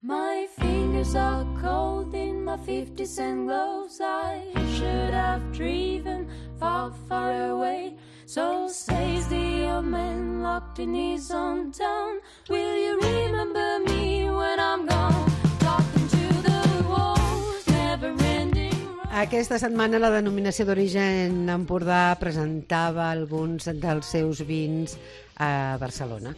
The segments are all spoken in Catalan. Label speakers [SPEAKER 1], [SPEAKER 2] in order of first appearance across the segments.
[SPEAKER 1] My fingers are cold in my 50-cent gloves. I should have driven far, far away. So says the old man locked in his own town. Will you remember me when I'm gone? Talking to the walls, never ending.
[SPEAKER 2] Aquesta setmana la denominació d'origen Empordà presentava alguns dels seus vins a Barcelona.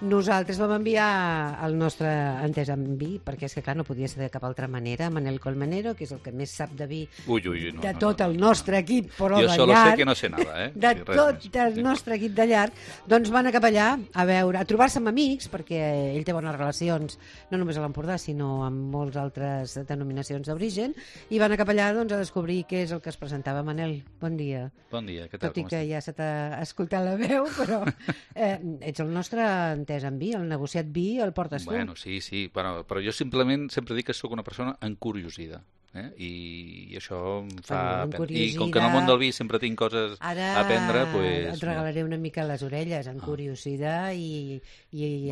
[SPEAKER 2] Nosaltres vam enviar el nostre entès en vi, perquè és que clar, no podia ser de cap altra manera, Manel Colmenero, que és el que més sap de vi de tot el nostre equip, però de llarg.
[SPEAKER 3] Jo solo sé que no sé nada,
[SPEAKER 2] de tot el nostre equip de llarg. Doncs van cap allà a trobar-se amb amics, perquè ell té bones relacions, no només a l'Empordà, sinó amb molts altres denominacions d'origen, i van cap allà a descobrir què és el que es presentava. Manel, bon dia.
[SPEAKER 3] Bon dia, què tal?
[SPEAKER 2] Tot i que ja se t'ha escoltat la veu, però ets el nostre entès en vi, el negociat vi el portes tu.
[SPEAKER 3] Bueno, sí, però jo simplement sempre dic que sóc una persona encuriosida. I això em fa... I com que en el món del vi sempre tinc coses a aprendre,
[SPEAKER 2] doncs... et regalaré una mica les orelles, en curiositat i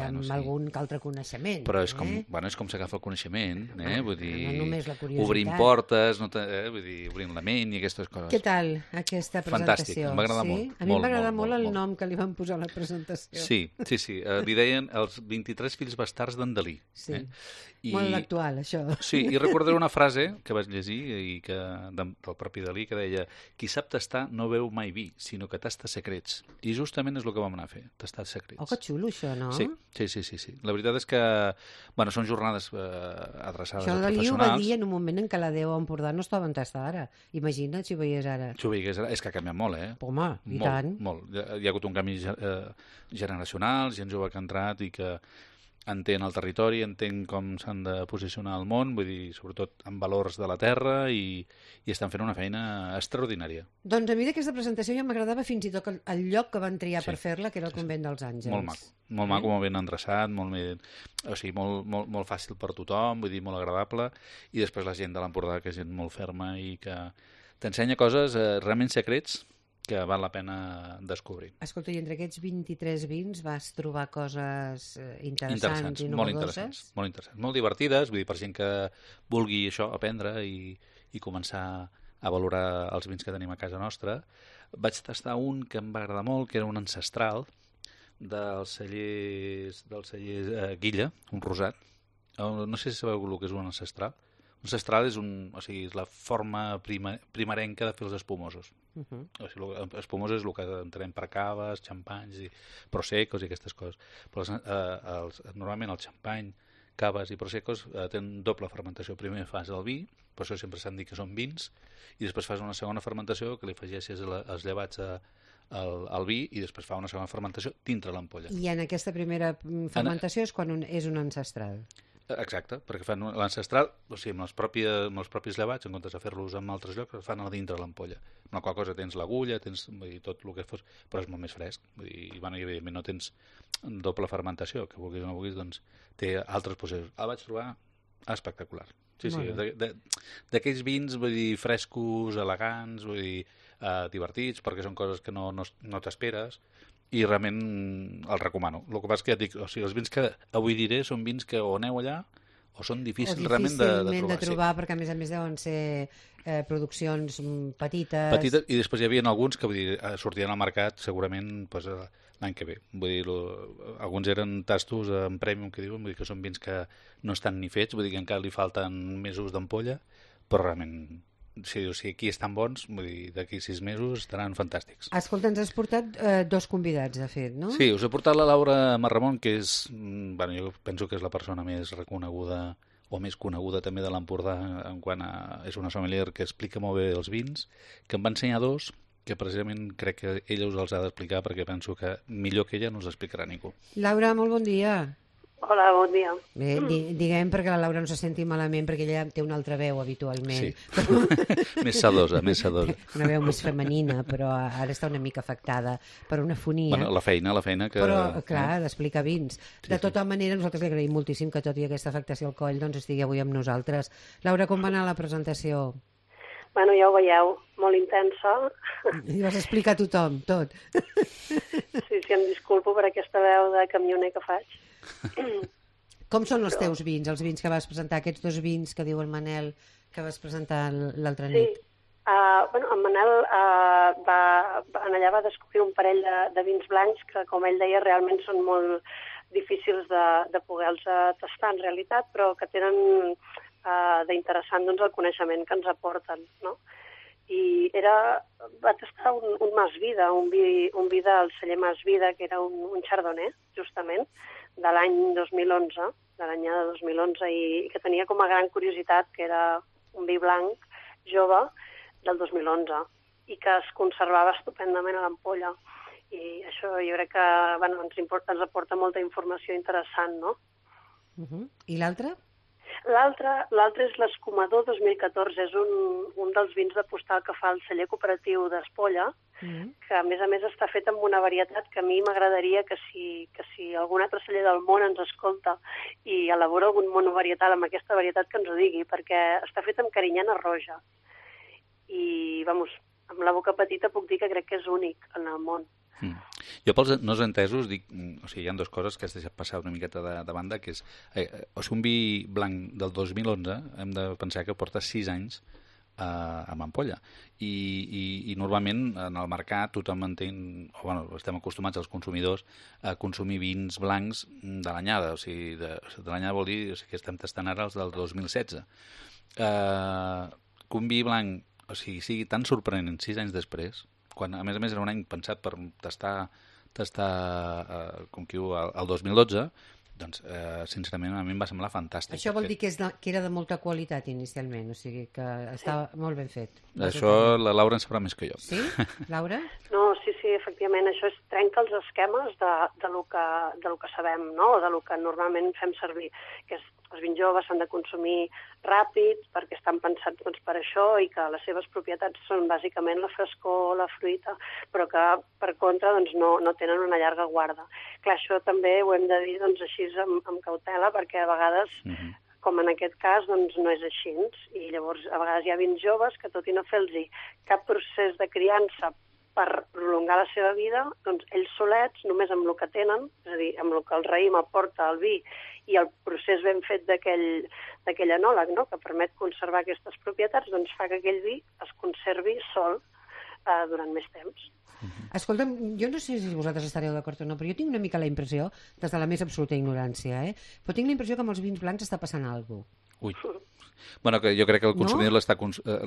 [SPEAKER 2] amb algun altre coneixement.
[SPEAKER 3] Però és com s'agafa el coneixement, vull dir,
[SPEAKER 2] no només la curiositat.
[SPEAKER 3] Obrint portes, vull dir, obrint la ment i aquestes coses.
[SPEAKER 2] Què tal, aquesta presentació?
[SPEAKER 3] Fantàstic, m'agrada molt.
[SPEAKER 2] A mi m'agrada molt el nom que li van posar a la presentació.
[SPEAKER 3] Sí, li deien els 23 fills bastards d'en Dalí.
[SPEAKER 2] Sí, molt actual, això.
[SPEAKER 3] Sí, i recordaré una frase que vaig llegir del propi Dalí, que deia: qui sap tastar no veu mai vi, sinó que tasta secrets. I justament és el que vam anar a fer, tastar secrets.
[SPEAKER 2] Oh, que xulo, això, no?
[SPEAKER 3] Sí. La veritat és que, són jornades adreçades
[SPEAKER 2] això
[SPEAKER 3] a professionals.
[SPEAKER 2] Això Dalí ho va dir en un moment en què la Déu a Empordà no estava en tastar ara. Imagina't si ho veies ara.
[SPEAKER 3] Si ho veies ara, és que ha canviat molt,
[SPEAKER 2] Home, i tant.
[SPEAKER 3] Molt. Hi ha hagut un canvi generacional, gent jove que ha entrat i que entén el territori, entén com s'han de posicionar al món, vull dir, sobretot amb valors de la terra, i estan fent una feina extraordinària.
[SPEAKER 2] Doncs a mi d'aquesta presentació ja m'agradava fins i tot el lloc que van triar per fer-la, que era el Convent dels Àngels.
[SPEAKER 3] Molt maco, molt ben endreçat, molt fàcil per tothom, vull dir, molt agradable, i després la gent de l'Empordà, que és gent molt ferma i que t'ensenya coses realment secrets que val la pena descobrir.
[SPEAKER 2] Escolta, i entre aquests 23 vins vas trobar coses interessants i innovadores?
[SPEAKER 3] Molt interessants, molt divertides, vull dir, per gent que vulgui això, aprendre i començar a valorar els vins que tenim a casa nostra. Vaig tastar un que em va agradar molt, que era un ancestral del celler Guilla, un rosat. No sé si sabeu el que és un ancestral. Un ancestral és la forma primerenca de fer els espumosos. Espumosos és el que entenem per caves, xampanys, prosecos i aquestes coses. Però normalment el xampany, caves i prosecos tenen doble fermentació. Primer fas el vi, per això sempre s'han dit que són vins, i després fas una segona fermentació que li afegeixes els llevats al vi i després fa una segona fermentació dintre l'ampolla.
[SPEAKER 2] I en aquesta primera fermentació és quan és un ancestral.
[SPEAKER 3] Exacte, perquè fan l'ancestral, amb els propis llevats, en comptes de fer-los en altres llocs, fan a dintre l'ampolla. Amb la qual cosa tens l'agulla, tens tot el que fos, però és molt més fresc. I evidentment no tens doble fermentació, que vulguis o no vulguis, doncs té altres processos. El vaig trobar espectacular. Sí, d'aquells vins, vull dir, frescos, elegants, vull dir, divertits, perquè són coses que no t'esperes, i realment el recomano. El que passa és que ja et dic, els vins que avui diré són vins que o aneu allà o són difícils realment de trobar.
[SPEAKER 2] Perquè a més deuen ser produccions petites.
[SPEAKER 3] Petites, i després hi havia alguns que sortien al mercat segurament l'any que ve. Vull dir, alguns eren tastos en premium que diuen, vull dir que són vins que no estan ni fets, vull dir que encara li falten mesos d'ampolla, però realment si aquí estan bons, vull dir, d'aquí 6 mesos estaran fantàstics.
[SPEAKER 2] Escolta, ens has portat 2 convidats, de fet, no?
[SPEAKER 3] Sí, us he portat la Laura Marramon, que és, jo penso que és la persona més reconeguda o més coneguda també de l'Empordà en quant a... És una sommelier que explica molt bé els vins, que em va ensenyar 2, que precisament crec que ella us els ha d'explicar perquè penso que millor que ella no els explicarà ningú.
[SPEAKER 2] Laura, molt bon dia.
[SPEAKER 4] Hola, bon dia.
[SPEAKER 2] Bé, diguem perquè la Laura no se senti malament, perquè ella té una altra veu habitualment.
[SPEAKER 3] Sí, més sedosa.
[SPEAKER 2] Una veu més femenina, però ara està una mica afectada per una fonia.
[SPEAKER 3] Bueno, la feina que...
[SPEAKER 2] Però, clar, d'explicar vins. De tota manera, nosaltres li agraïm moltíssim que tot i aquesta afectació al coll doncs estigui avui amb nosaltres. Laura, com va anar la presentació?
[SPEAKER 4] Bueno, ja ho veieu, molt intensa.
[SPEAKER 2] I vas explicar a tothom, tot.
[SPEAKER 4] Sí, em disculpo per aquesta veu de camioner que faig.
[SPEAKER 2] Com són els teus vins, els vins que vas presentar, aquests 2 vins que diu el Manel que vas presentar l'altra nit?
[SPEAKER 4] Sí. En Manel allà va descobrir un parell de vins blancs que, com ell deia, realment són molt difícils de poder-los tastar en realitat, però que tenen d'interessant doncs, el coneixement que ens aporten, no? I va tastar un Mas Vida, un vi del celler Mas Vida, que era un chardonnay, justament, de l'any 2011, de l'anyada 2011, i que tenia com a gran curiositat que era un vi blanc jove del 2011 i que es conservava estupendament a l'ampolla. I això jo crec que ens aporta molta informació interessant, no?
[SPEAKER 2] I l'altre?
[SPEAKER 4] L'altre és l'Escumador 2014, és un dels vins de postal que fa el celler cooperatiu d'Espolla, que a més està fet amb una varietat que a mi m'agradaria que si algun altre celler del món ens escolta i elabora algun monovarietal amb aquesta varietat que ens ho digui, perquè està fet amb carinyana roja. I, amb la boca petita puc dir que crec que és únic en el món.
[SPEAKER 3] Jo pels no entesos dic, hi ha 2 coses que has deixat passar una miqueta de banda, que és un vi blanc del 2011 hem de pensar que porta 6 anys amb ampolla i normalment en el mercat tothom entén, estem acostumats els consumidors a consumir vins blancs de l'anyada, o sigui, de l'anyada vol dir que estem tastant ara els del 2016. Que un vi blanc sigui tan sorprenent 6 anys després, quan a més era un any pensat per tastar com que diu, el 2012, doncs sincerament a mi em va semblar fantàstic.
[SPEAKER 2] Això vol dir que era de molta qualitat inicialment, o sigui que estava molt ben fet.
[SPEAKER 3] Això la Laura en sabrà més que jo.
[SPEAKER 2] Sí? Laura?
[SPEAKER 4] No, sí, efectivament, això trenca els esquemes de lo que sabem, no? O de lo que normalment fem servir, que és els vins joves s'han de consumir ràpid perquè estan pensats per això i que les seves propietats són bàsicament la frescor, la fruita, però que per contra no tenen una llarga guarda. Clar, això també ho hem de dir així amb cautela perquè a vegades, com en aquest cas, no és així. I llavors a vegades hi ha vins joves que tot i no fer-los cap procés de criança per prolongar la seva vida, doncs ells solets, només amb el que tenen, és a dir, amb el que el raïm aporta al vi i el procés ben fet d'aquell enòleg, no?, que permet conservar aquestes propietats, doncs fa que aquell vi es conservi sol durant més temps.
[SPEAKER 2] Escolta'm, jo no sé si vosaltres estareu d'acord o no, però jo tinc una mica la impressió, des de la més absoluta ignorància, però tinc la impressió que amb els vins blancs està passant alguna cosa.
[SPEAKER 3] Ui. Bueno, que jo crec que el consumidor l'està consumint,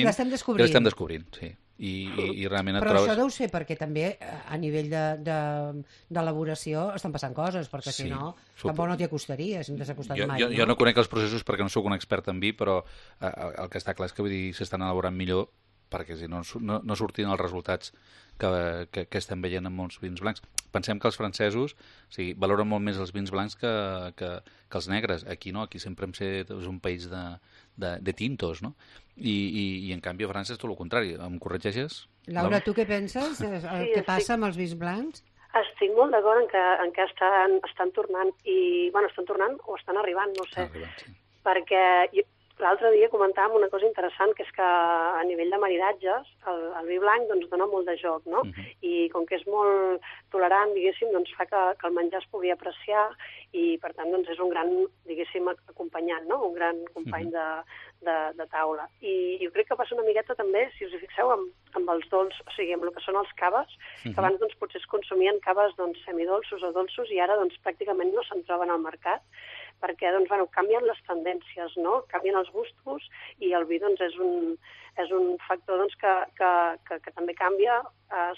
[SPEAKER 2] l'estem
[SPEAKER 3] descobrint, sí. I realment et
[SPEAKER 2] però
[SPEAKER 3] trobes...
[SPEAKER 2] això deu ser perquè també a nivell d'elaboració estan passant coses, perquè si no tampoc no t'hi acostaries, no t'has acostat mai.
[SPEAKER 3] Jo no conec els processos perquè no sóc un expert en vi, però el que està clar és que s'estan elaborant millor perquè si no sortien els resultats que estem veient en molts vins blancs. Pensem que els francesos valoren molt més els vins blancs que els negres. Aquí no, aquí sempre és un país de tintos, no? I en canvi a França és tot el contrari. Em corregeixes?
[SPEAKER 2] Laura, tu què penses? Què passa amb els vins blancs?
[SPEAKER 4] Estic molt d'acord en què estan tornant, estan tornant o estan arribant, no sé. Perquè l'altre dia comentàvem una cosa interessant, que és que a nivell de maridatges el vi blanc dona molt de joc, no? I com que és molt tolerant, diguéssim, doncs fa que el menjar es pugui apreciar i, per tant, és un gran, diguéssim, acompanyant, no? Un gran company de taula. I jo crec que passa una miqueta també, si us hi fixeu, amb els dolços, o sigui, amb el que són els caves, que abans potser es consumien caves semidolços o dolços i ara pràcticament no se'n troben al mercat, perquè canvien les tendències, no? Canvien els gustos i el vi és un factor que també canvia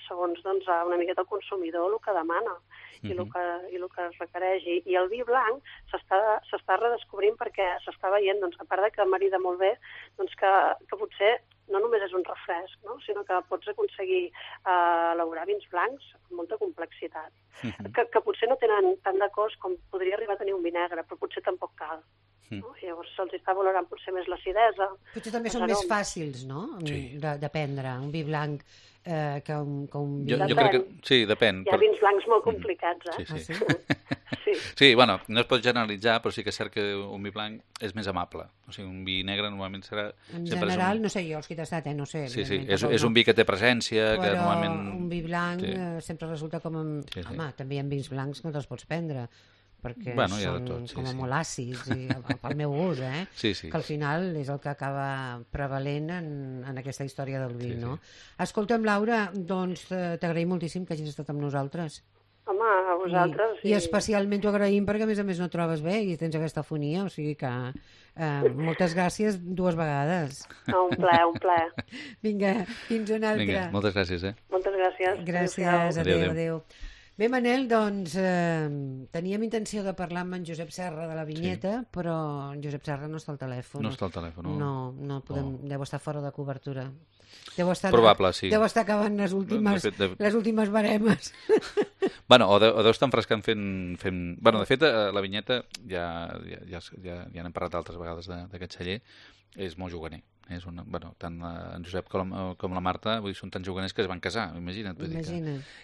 [SPEAKER 4] segons una miqueta el consumidor el que demana i el que es requereix. I el vi blanc s'està redescobrint perquè s'està veient, a part que marida molt bé, que potser no només és un refresc, no? Sinó que pots aconseguir elaborar vins blancs amb molta complexitat, que potser no tenen tant de cost com podria arribar a tenir un vi negre, però potser tampoc cal. No? Llavors se'ls està valorant potser més l'acidesa.
[SPEAKER 2] Potser també són més fàcils, no?, de prendre, un vi blanc que un vi...
[SPEAKER 3] Jo crec que sí, depèn.
[SPEAKER 4] Hi ha vins blancs molt complicats,
[SPEAKER 3] Sí, bueno, no es pot generalitzar, però sí que és cert que un vi blanc és més amable. O sigui, un vi negre normalment serà...
[SPEAKER 2] En general, no sé jo, els que he tastat, no sé.
[SPEAKER 3] Sí, és un vi que té presència, que normalment...
[SPEAKER 2] Però un vi blanc sempre resulta com... Home, també hi ha vins blancs que no te'ls pots prendre. perquè
[SPEAKER 3] Bueno, hi ha de
[SPEAKER 2] són
[SPEAKER 3] tot, sí,
[SPEAKER 2] com a
[SPEAKER 3] sí.
[SPEAKER 2] molt àcids, i, pel meu gust,
[SPEAKER 3] Sí, sí.
[SPEAKER 2] que al final és el que acaba prevalent en aquesta història del vi,
[SPEAKER 3] Sí, sí.
[SPEAKER 2] no? Escolta'm, Laura, doncs t'agraïm moltíssim que hagis estat amb nosaltres.
[SPEAKER 4] Home, a vosaltres.
[SPEAKER 2] I especialment t'ho agraïm perquè, a més, no et trobes bé i tens aquesta afonia, o sigui que moltes gràcies 2 vegades.
[SPEAKER 4] No, un plaer.
[SPEAKER 2] Vinga, fins una altra.
[SPEAKER 3] Vinga, moltes gràcies,
[SPEAKER 4] Moltes gràcies.
[SPEAKER 2] Gràcies,
[SPEAKER 3] Adéu.
[SPEAKER 2] adéu. Bé, Manel, doncs teníem intenció de parlar amb en Josep Serra de la Vinyeta, però en Josep Serra no està al telèfon.
[SPEAKER 3] No està al telèfon,
[SPEAKER 2] No podem, deu estar fora de cobertura. Deu estar,
[SPEAKER 3] Probable, sí.
[SPEAKER 2] Deu estar acabant les últimes baremes.
[SPEAKER 3] Bueno, o deu estar enfrescant fent... Bueno, de fet, la Vinyeta, ja n'hem parlat altres vegades d'aquest celler, és molt juganer. És tant en Josep com la Marta són tan juganers que es van casar, imagina't.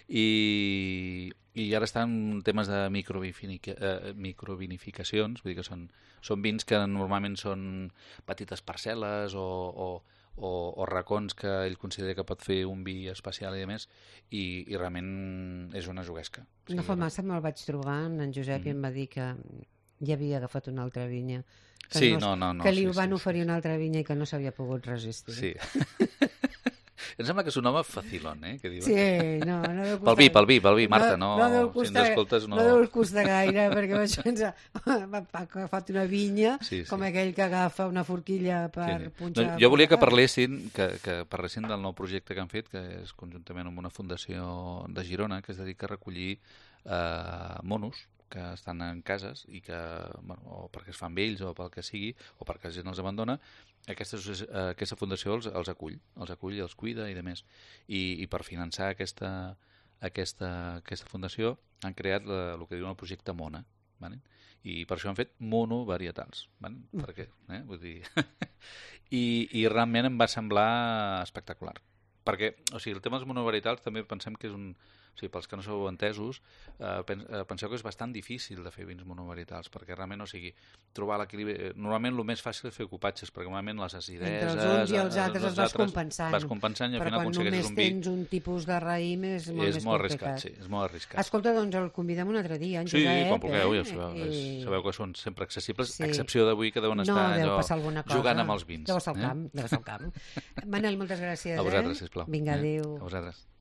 [SPEAKER 3] I ara estan temes de microvinificacions, vull dir que són vins que normalment són petites parcel·les o racons que ell considera que pot fer un vi especial i més, i realment és una juguesca.
[SPEAKER 2] No fa massa me'l vaig trobar en Josep i em va dir que ja havia agafat una altra vinya.
[SPEAKER 3] Que
[SPEAKER 2] li van oferir una altra vinya i que no s'havia pogut resistir.
[SPEAKER 3] Sí. Em sembla que és un home facilón, que diuen.
[SPEAKER 2] Sí, no deu costar...
[SPEAKER 3] Pel vi, Marta, si ens escoltes no...
[SPEAKER 2] No deu costar gaire, perquè això ens ha agafat una vinya, com aquell que agafa una forquilla per punxar...
[SPEAKER 3] Jo volia que parlessin del nou projecte que han fet, que és conjuntament amb una fundació de Girona, que es dedica a recollir monos que estan en cases i que, o perquè es fan vells o pel que sigui, o perquè la gent els abandona, aquesta fundació els acull i els cuida i demés. I per finançar aquesta fundació han creat el que diuen el projecte Mona, ¿vale? I per això han fet monovarietals, ¿vale? Per què? Vull dir... I realment em va semblar espectacular. Perquè, o sigui, el tema dels monovarietals també pensem que és un... O sigui, pels que no sou entesos, penseu que és bastant difícil de fer vins monovarietals, perquè realment, o sigui, trobar l'equilibri... Normalment el més fàcil és fer copatges, perquè normalment les acideses...
[SPEAKER 2] Entre els uns i els altres els vas compensant.
[SPEAKER 3] Vas compensant i al final aconsegueixes un vi...
[SPEAKER 2] Però quan només tens un tipus de raïm és molt més complicat.
[SPEAKER 3] Arriscat, sí, és molt arriscat.
[SPEAKER 2] Escolta, doncs el convidem un altre dia, en Josep.
[SPEAKER 3] Sí, quan vulgueu, ja sabeu que són sempre accessibles, a excepció d'avui que deuen estar jugant amb els vins.
[SPEAKER 2] Deu estar al camp. Manel, moltes gràcies.
[SPEAKER 3] A vosaltres, sisplau.
[SPEAKER 2] Vinga, adéu.
[SPEAKER 3] A vosaltres.